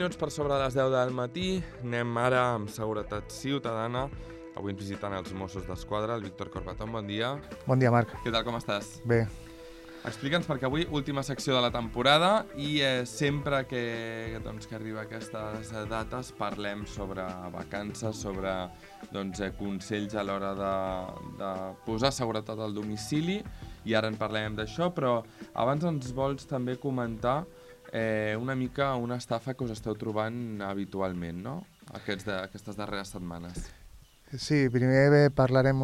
minuts per sobre les 10 del matí. Anem ara amb Seguretat Ciutadana. Avui ens visiten els Mossos d'Esquadra, el Víctor Corbatón, bon dia. Bon dia, Marc. Què tal, com estàs? Bé. Explica'ns, perquè avui última secció de la temporada i sempre que arriba aquestes dates parlem sobre vacances, sobre consells a l'hora de posar seguretat al domicili, i ara en parlem d'això, però abans ens vols també comentar una mica una estafa que us esteu trobant habitualment, no? Aquestes darreres setmanes. Sí, primer parlarem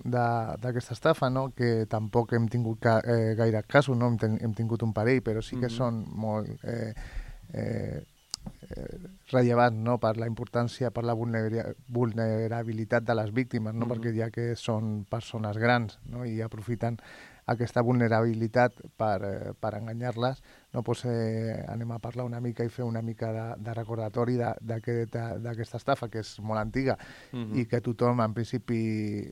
d'aquesta estafa, no? Que tampoc hem tingut gaire casos, no? Hem tingut un parell, però sí que són molt rellevants, no? Per la importància, per la vulnerabilitat de les víctimes, no? Perquè ja que són persones grans, no? I aprofiten aquesta vulnerabilitat per enganyar-les, no? Pues, anem a parlar una mica i fer una mica de recordatori d'aquesta estafa, que és molt antiga i que tothom en principi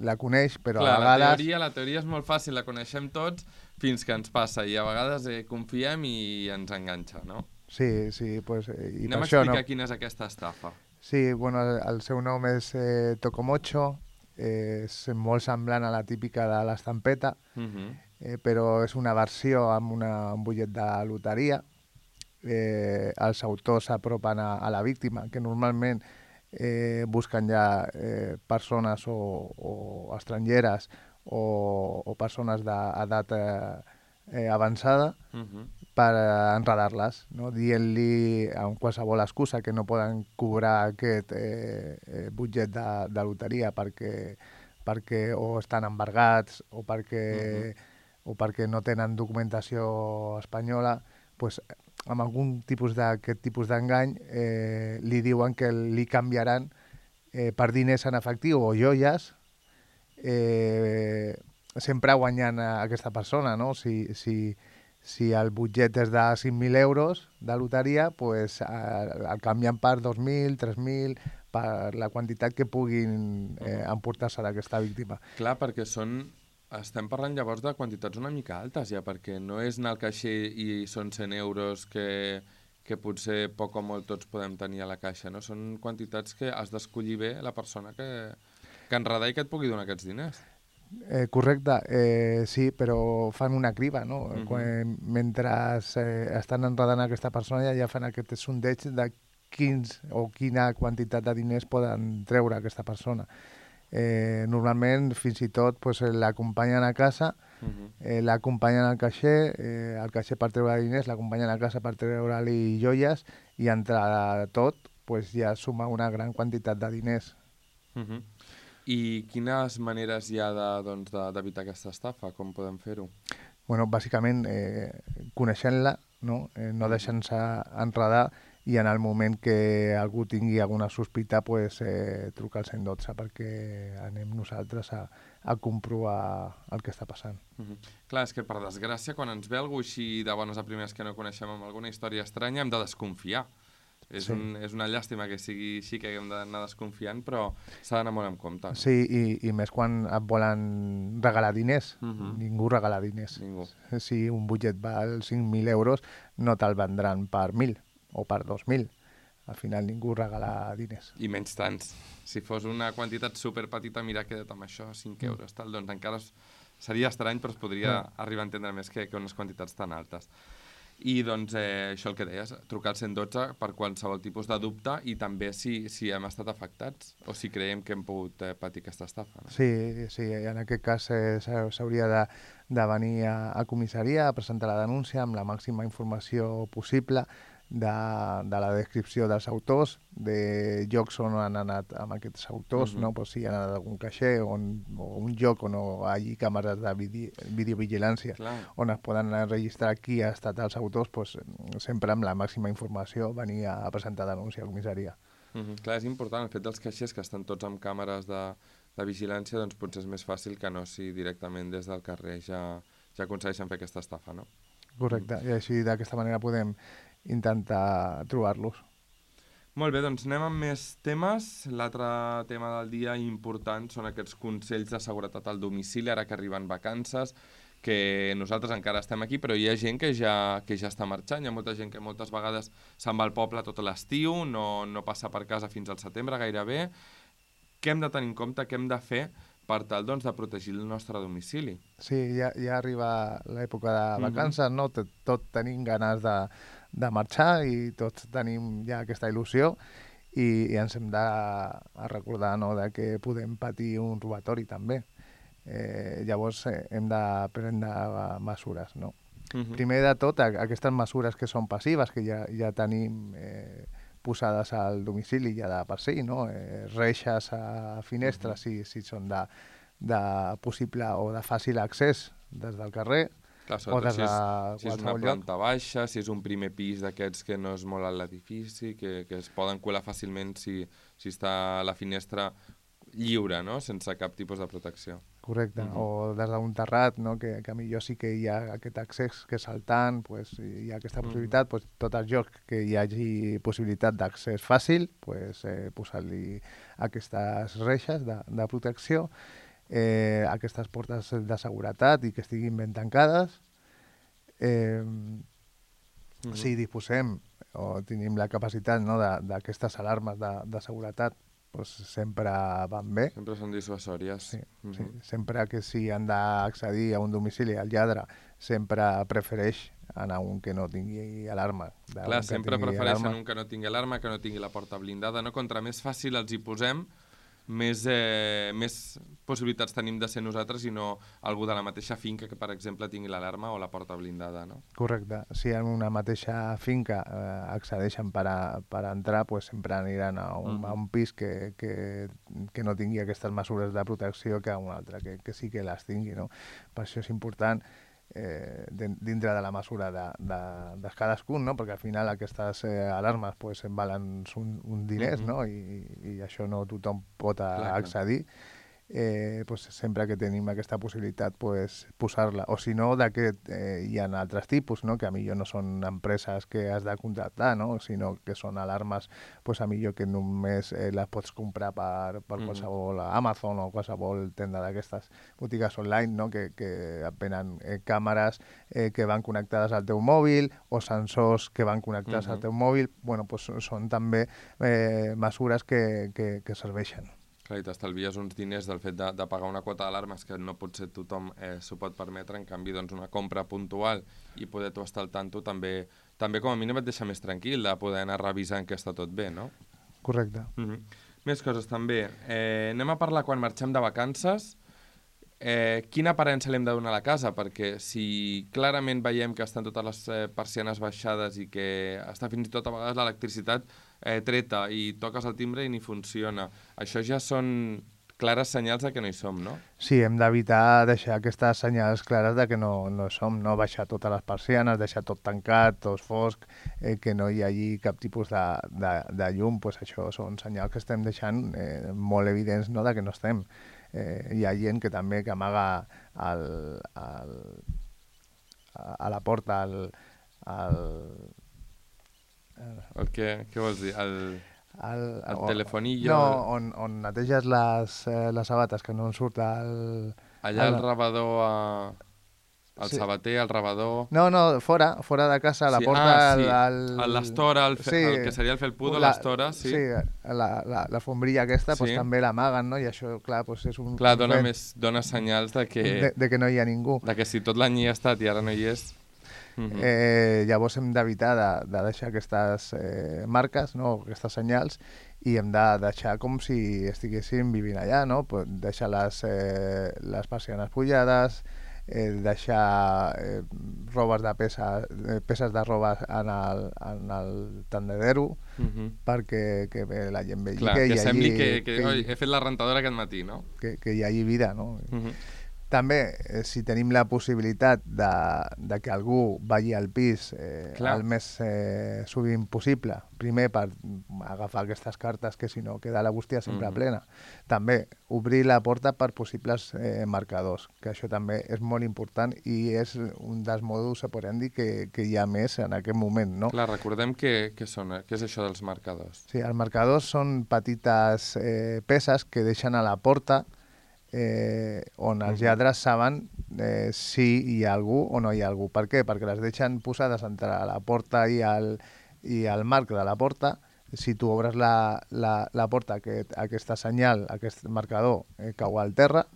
la coneix, però clar, a vegades... La teoria és molt fàcil, la coneixem tots fins que ens passa, i a vegades confiem i ens enganxa, no? Sí, pues... Anem a explicar quina és aquesta estafa. Sí, bueno, el seu nom és Tocomocho, és molt semblant a la típica de l'estampeta, però és una versió amb un butllet de loteria. Els autors s'apropen a la víctima, que normalment busquen ja persones o estrangeres o persones d'edat avançada per enredar-les, no? Dient-li amb qualsevol excusa que no poden cobrar aquest butllet de loteria perquè o estan embargats o perquè no tenen documentació espanyola, pues, amb algun d'aquest tipus d'engany li diuen que li canviaran per diners en efectiu o joies, sempre guanyant aquesta persona, no? Si el butllet és de 5.000 euros de loteria, pues, el canvien per 2.000, 3.000, per la quantitat que puguin emportar-se d'aquesta víctima. Clar, perquè estem parlant llavors de quantitats una mica altes ja, perquè no és anar al caixer i són 100 euros que potser poc o molt tots podem tenir a la caixa, no? Són quantitats que has d'escollir bé la persona que enredar i que et pugui donar aquests diners. Correcte, sí, però fan una criba, no? Mentre estan enredant aquesta persona ja fan aquest sondeig de quina quantitat de diners poden treure aquesta persona. Normalment, fins i tot, pues, l'acompanyen a casa, l'acompanyen al caixer, el caixer per treure diners, l'acompanyen a casa per treure-li joies, i entre tot pues, ja suma una gran quantitat de diners. I quines maneres hi ha d'evitar aquesta estafa? Com podem fer-ho? Bueno, bàsicament, coneixent-la, no deixant-se enredar, i en el moment que algú tingui alguna sospita, pues, trucar al 112 perquè anem nosaltres a comprovar el que està passant. Clar, és que per desgràcia, quan ens ve algú així de bones a primeres que no coneixem amb alguna història estranya, hem de desconfiar. És una llàstima que sigui així, que haguem d'anar desconfiant, però s'ha d'anar molt en compte. Sí, i més quan et volen regalar diners. Ningú regala diners. Ningú. Si un butllet val 5.000 euros, no te'l vendran per 1.000 o per 2.000. Al final ningú regala diners. I menys tants. Si fos una quantitat superpetita, mira, queda't amb això, 5 euros, tal, doncs encara seria estrany, però es podria arribar a entendre més que unes quantitats tan altes. I doncs això el que deies, trucar al 112 per qualsevol tipus de dubte, i també si hem estat afectats o si creiem que hem pogut patir aquesta estafa. No? Sí, en aquest cas s'hauria de venir a comissaria a presentar la denúncia amb la màxima informació possible de la descripció dels autors, de llocs on han anat amb aquests autors, no? Pues si han anat a algun caixer o un lloc on hi hagi càmeres de videovigilància on es poden registrar qui ha estat els autors, pues, sempre amb la màxima informació venir a presentar denúncia a comissaria. Clar, és important el fet dels caixers que estan tots amb càmeres de vigilància, doncs potser és més fàcil que no si directament des del carrer ja aconsegueixen fer aquesta estafa, no? Correcte, i així d'aquesta manera podem intentar trobar-los. Molt bé, doncs anem amb més temes. L'altre tema del dia important són aquests consells de seguretat al domicili, ara que arriben vacances, que nosaltres encara estem aquí, però hi ha gent que ja està marxant, hi ha molta gent que moltes vegades se'n va al poble tot l'estiu, no passa per casa fins al setembre gairebé. Què hem de tenir en compte, què hem de fer per tal doncs, de protegir el nostre domicili? Sí, ja arriba l'època de vacances, no? Tot tenim ganes de marxar i tots tenim ja aquesta il·lusió i ens hem de recordar, no?, de que podem patir un robatori també. Llavors hem de prendre mesures, no? Primer de tot, aquestes mesures que són passives, que ja tenim posades al domicili ja de per si, no? Reixes a finestres si són de possible o de fàcil accés des del carrer. Clar, sobretot si és una planta baixa, si és un primer pis d'aquests que no és molt alt l'edifici, que es poden colar fàcilment si està la finestra lliure, no?, sense cap tipus de protecció. Correcte, o des d'un terrat, no?, que millor sí que hi ha aquest accés, que saltant, pues, hi ha aquesta possibilitat, pues, tot el joc que hi hagi possibilitat d'accés fàcil, pues, posar-li aquestes reixes de protecció, aquestes portes de seguretat i que estiguin ben tancades. Si disposem o tenim la capacitat, no, d'aquestes alarmes de seguretat, pues, sempre van bé. Sempre són dissuasòries. Sí, sí. Sempre que si han d'accedir a un domicili al lladre, sempre prefereix anar un que no tingui alarma. Clar, sempre prefereixen un que no tingui alarma, que no tingui la porta blindada, no? Contra més fàcil els hi posem, més possibilitats tenim de ser nosaltres i no algú de la mateixa finca que, per exemple, tingui l'alarma o la porta blindada, no? Correcte. Si en una mateixa finca accedeixen per entrar, pues sempre aniran a un pis que no tingui aquestes mesures de protecció que a un altre, que sí que les tingui, no? Per això és important dintre de la mesura de cadascun, no? Perquè al final aquestes alarmes pues, valen uns diners, no? I això no tothom pot accedir. Pues, sempre que tenim aquesta possibilitat pues, posar-la, o si no hi ha altres tipus, no? Que a millor no són empreses que has de contractar, no? Sinó que són alarmes pues, a millor que només les pots comprar per qualsevol Amazon o qualsevol tenda d'aquestes botigues online, no? Que venen càmeres que van connectades al teu mòbil o sensors que van connectats al teu mòbil. Bueno, pues, són també mesures que serveixen. Clar, i t'estalvies uns diners del fet de pagar una quota d'alarmes que no potser tothom s'ho pot permetre, en canvi doncs, una compra puntual i poder tu estar al tanto també com a mínim et deixa més tranquil de poder anar revisant que està tot bé, no? Correcte. Més coses també. Anem a parlar quan marxem de vacances. Quina aparença li hem de donar a la casa? Perquè si clarament veiem que estan totes les persianes baixades i que està fins i tot a vegades l'electricitat treta i toques el timbre i ni funciona, això ja són clares senyals de que no hi som, no? Sí, hem d'evitar deixar aquestes senyals clares de que no som, no baixar totes les persianes, deixar tot tancat, tot fosc, que no hi hagi cap tipus de llum, pues això són senyals que estem deixant molt evidents, no?, de que no estem. Hi ha gent que també que amaga a la porta Què vols dir? El telefonillo? No, on neteges les sabates, que no en surt allà el rebedor, el sabater, el rebedor... No, fora de casa, a la porta... l'estora, el que seria el felpudo, l'estora, sí. Sí, la fombrilla aquesta també l'amaguen, no? I això, clar, és un... Clar, dona senyals de que no hi ha ningú. De que si tot l'any hi ha estat i ara no hi és... Llavors hem d'evitar de deixar aquestes marques, no? Aquestes senyals, i hem de deixar com si estiguéssim vivint allà, no? Deixar les persianes pujades, deixar peces de roba en el tendedero perquè la gent vegi que sembli que he fet la rentadora aquest matí, no? Que hi hagi vida, no? També, si tenim la possibilitat de que algú vagi al pis el més sovint possible, primer per agafar aquestes cartes que si no queda la bústia sempre plena. També obrir la porta per possibles marcadors, que això també és molt important i és un dels modus operandi que hi ha més en aquest moment, no? Clar, recordem què és això dels marcadors. Sí, els marcadors són petites peces que deixen a la porta on els lladres saben si hi ha algú o no hi ha algú. Per què? Perquè les deixen posades entre la porta i el marc de la porta. Si tu obres la porta, aquesta senyal, aquest marcador cau al terra,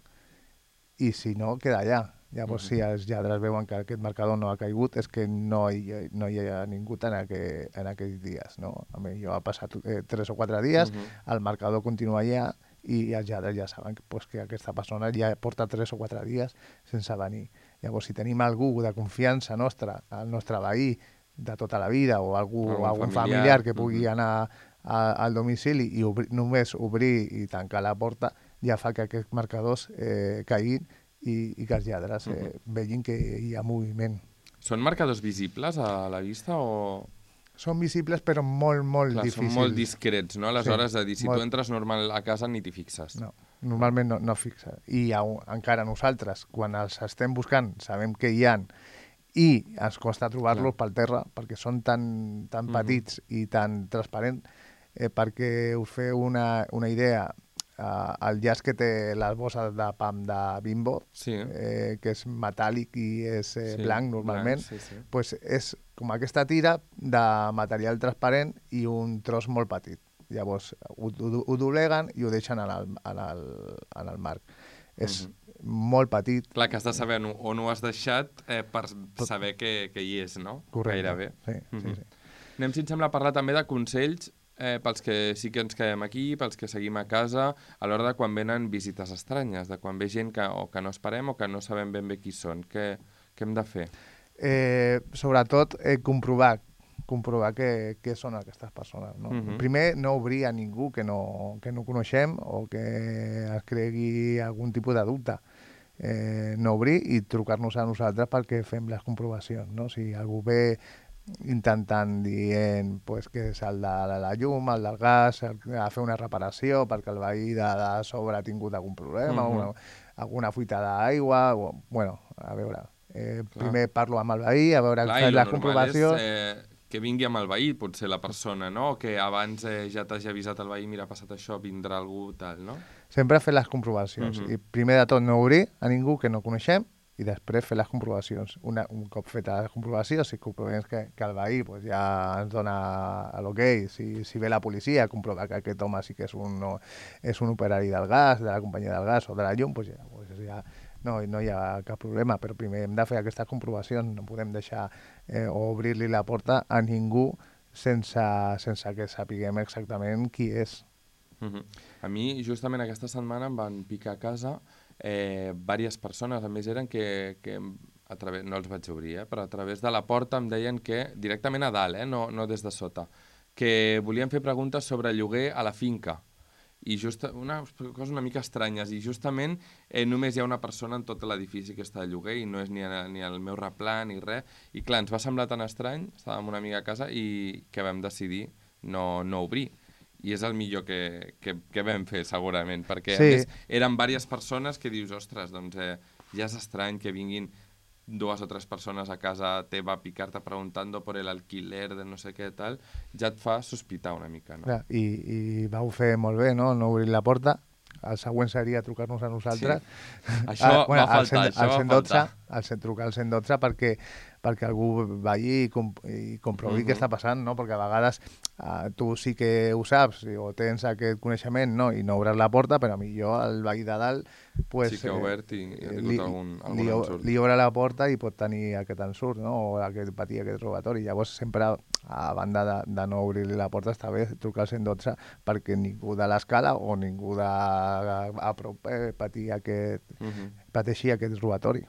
i si no, queda allà. Llavors, si els lladres veuen que aquest marcador no ha caigut, és que no hi ha ningú en aquells dies. No? A mi jo ha passat 3 o 4 dies, el marcador continua allà, i els lladres ja saben que aquesta persona ja porta 3 o 4 dies sense venir. Llavors, si tenim algú de confiança nostra, el nostre veí de tota la vida, o algun familiar que pugui anar al domicili i només obrir i tancar la porta, ja fa que aquests marcadors caiguin i que els lladres vegin que hi ha moviment. Són marcadors visibles a la vista o...? Són visibles però molt difícils. Són molt discrets, no? Aleshores, si tu entres normal a casa ni t'hi fixes. No, normalment no fixes. I encara nosaltres, quan els estem buscant, sabem que hi ha i ens costa trobar-los pel terra perquè són tan petits i tan transparents. Perquè us feu una idea, el llaç que té les bosses de pam de Bimbo, que és metàl·lic i és blanc normalment, pues és com aquesta tira de material transparent i un tros molt petit. Llavors ho dobleguen i ho deixen en el marc. És molt petit. Clar, que has de saber on ho has deixat per saber que hi és, no? Correcte. Gairebé. Sí. Anem, si et sembla, a parlar també de consells pels que sí que ens quedem aquí, pels que seguim a casa, a l'hora de quan venen visites estranyes, de quan ve gent que no esperem o que no sabem ben bé qui són. Què hem de fer? Sobretot comprovar què són aquestes persones. No? Primer, no obrir a ningú que no coneixem o que es cregui algun tipus de dubte. No obrir i trucar-nos a nosaltres perquè fem les comprovacions. No? Si algú ve intentant dient que és el de la llum, el del gas, a fer una reparació perquè el veí de sobre ha tingut algun problema, alguna fuita d'aigua, bueno, a veure, primer parlo amb el veí, a veure la comprovació. Que vingui amb el veí, potser la persona, no? O que abans ja t'hagi avisat el veí, mira, ha passat això, vindrà algú, tal, no? Sempre fer les comprovacions. I primer de tot no obrir a ningú que no coneixem, i després fer les comprovacions. Un cop feta la comprovació, si comprovem que el veí ja ens dona l'ok, si ve la policia a comprovar que aquest home sí que és un operari del gas, de la companyia del gas o de la llum, ja no hi ha cap problema, però primer hem de fer aquestes comprovacions, no podem deixar o obrir-li la porta a ningú sense que sapiguem exactament qui és. A mi, justament aquesta setmana em van picar a casa diverses persones, a més eren que no els vaig obrir, però a través de la porta em deien que, directament a dalt, no des de sota, que volien fer preguntes sobre lloguer a la finca, i unes coses una mica estranyes, i justament només hi ha una persona en tot l'edifici que està de lloguer, i no és ni el meu replà ni res, i clar, ens va semblar tan estrany, estàvem una amiga a casa, i que vam decidir no obrir. I és el millor que vam fer, segurament, perquè a més eren diverses persones que dius, ostres, doncs ja és estrany que vinguin 2 o 3 persones a casa teva a picar-te preguntant per l'alquiler de no sé què tal, ja et fa sospitar una mica, no? Clar, i vau fer molt bé, no obrir la porta. El següent seria trucar-nos a nosaltres. Sí. Això va faltar, trucar al 112 perquè algú vagi i comprovi què està passant, no? Perquè a vegades tu sí que ho saps o tens aquest coneixement, no? I no obres la porta, però millor el veí de dalt sí que ha obert i ha tingut algun ensurt. Li obre la porta i pot tenir aquest ensurt, no? O patir aquest robatori. Llavors sempre, a banda de no obrir-li la porta, està bé trucar al 112 perquè ningú de l'escala o ningú a prop pateixi aquest robatori.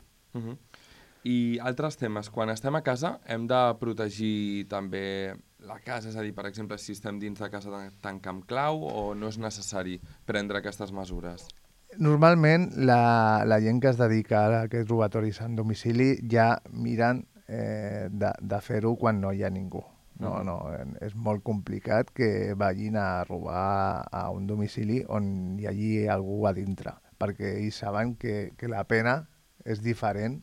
I altres temes. Quan estem a casa hem de protegir també la casa, és a dir, per exemple, si estem dins de casa tancar amb clau o no és necessari prendre aquestes mesures? Normalment la gent que es dedica a aquests robatoris en domicili ja miren de fer-ho quan no hi ha ningú. No, és molt complicat que vagin a robar a un domicili on hi hagi algú a dintre, perquè ells saben que la pena és diferent,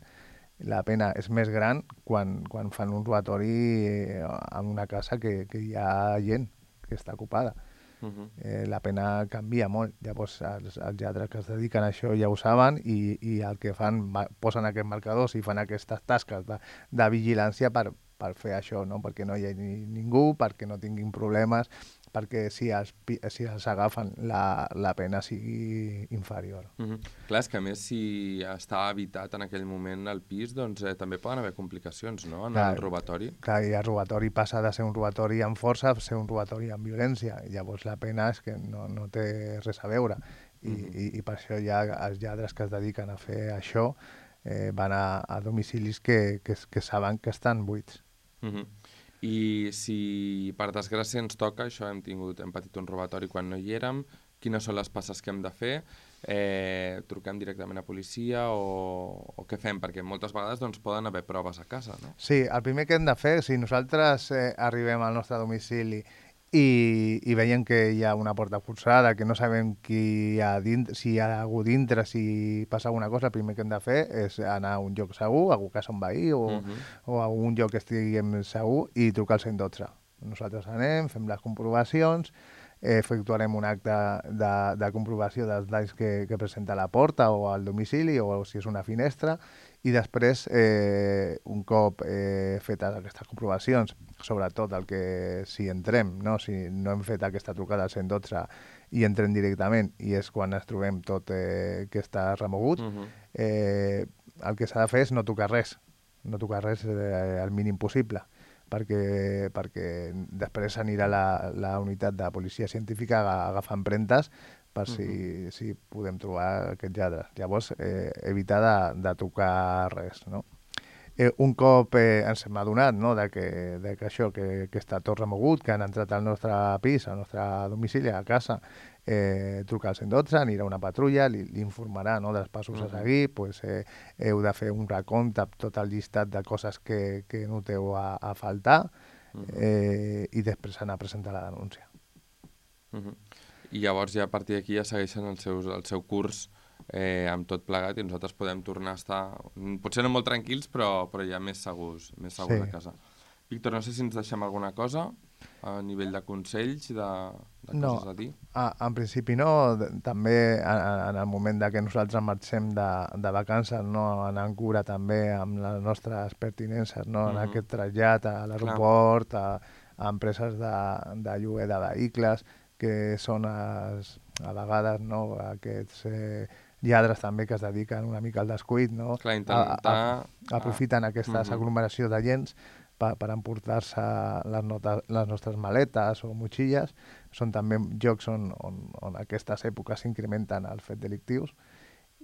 la pena és més gran quan fan un robatori en una casa que hi ha gent que està ocupada. La pena canvia molt. Llavors, els lladres que es dediquen a això ja ho saben i el que fan, posen aquests marcadors i fan aquestes tasques de vigilància per fer això, no? Perquè no hi hagi ningú, perquè no tinguin problemes, perquè si els agafen la pena sigui inferior. Clar, és que a més si està habitat en aquell moment el pis, doncs també poden haver complicacions, no?, en el robatori. Clar, i el robatori passa de ser un robatori amb força a ser un robatori amb violència. Llavors la pena és que no té res a veure. I per això ja els lladres que es dediquen a fer això van a domicilis que saben que estan buits. I si per desgràcia ens toca, això hem patit un robatori quan no hi érem, quines són les passes que hem de fer? Truquem directament a policia o què fem? Perquè moltes vegades doncs, poden haver proves a casa, no? Sí, el primer que hem de fer, si nosaltres arribem al nostre domicili i veiem que hi ha una porta forçada, que no sabem qui hi ha dintre, si hi ha algú dintre, si passa alguna cosa, el primer que hem de fer és anar a un lloc segur, a casa un veí o a un lloc que estiguem segur i trucar al 112. Nosaltres anem, fem les comprovacions, efectuarem un acte de comprovació dels danys que presenta la porta o al domicili o si és una finestra i després, un cop fetes aquestes comprovacions, sobretot el que si entrem, no? Si no hem fet aquesta trucada al 112 i entrem directament i és quan ens trobem tot que està remogut, el que s'ha de fer és no tocar res al mínim possible, perquè després anirà la unitat de policia científica a agafar empremtes per si podem trobar aquests lladres. Llavors, evitar de tocar res, no? Un cop ens hem adonat, no, que això, que està tot remogut, que han entrat al nostre pis, al nostre domicili, a casa, trucar al 112, anirà una patrulla, li informarà, no, dels passos a seguir, pues, heu de fer un recompte amb tot el llistat de coses que noteu a faltar i després anar a presentar la denúncia. I llavors ja a partir d'aquí ja segueixen el seu curs amb tot plegat i nosaltres podem tornar a estar, potser no molt tranquils, però ja més segurs a casa. Víctor, no sé si ens deixem alguna cosa a nivell de consells, de coses a dir. En principi no. També en el moment que nosaltres marxem de vacances, no, anant cura també amb les nostres pertinences, no, en aquest trasllat a l'aeroport, a empreses de lloguer de vehicles, que són a vegades, no, aquests lladres també que es dediquen una mica al descuit, no? Aprofiten aquestes aglomeracions de gens per emportar-se les nostres maletes o motxilles. Són també llocs on aquestes èpoques s'incrementen els fets delictius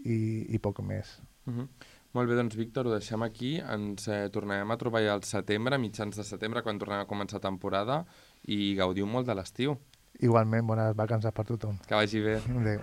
i poc més. Molt bé, doncs Víctor, ho deixem aquí. Ens tornarem a trobar ja al setembre, mitjans de setembre, quan tornem a començar temporada, i gaudiu molt de l'estiu. Igualment, bones vacances per tothom. Que vagi bé. Adéu.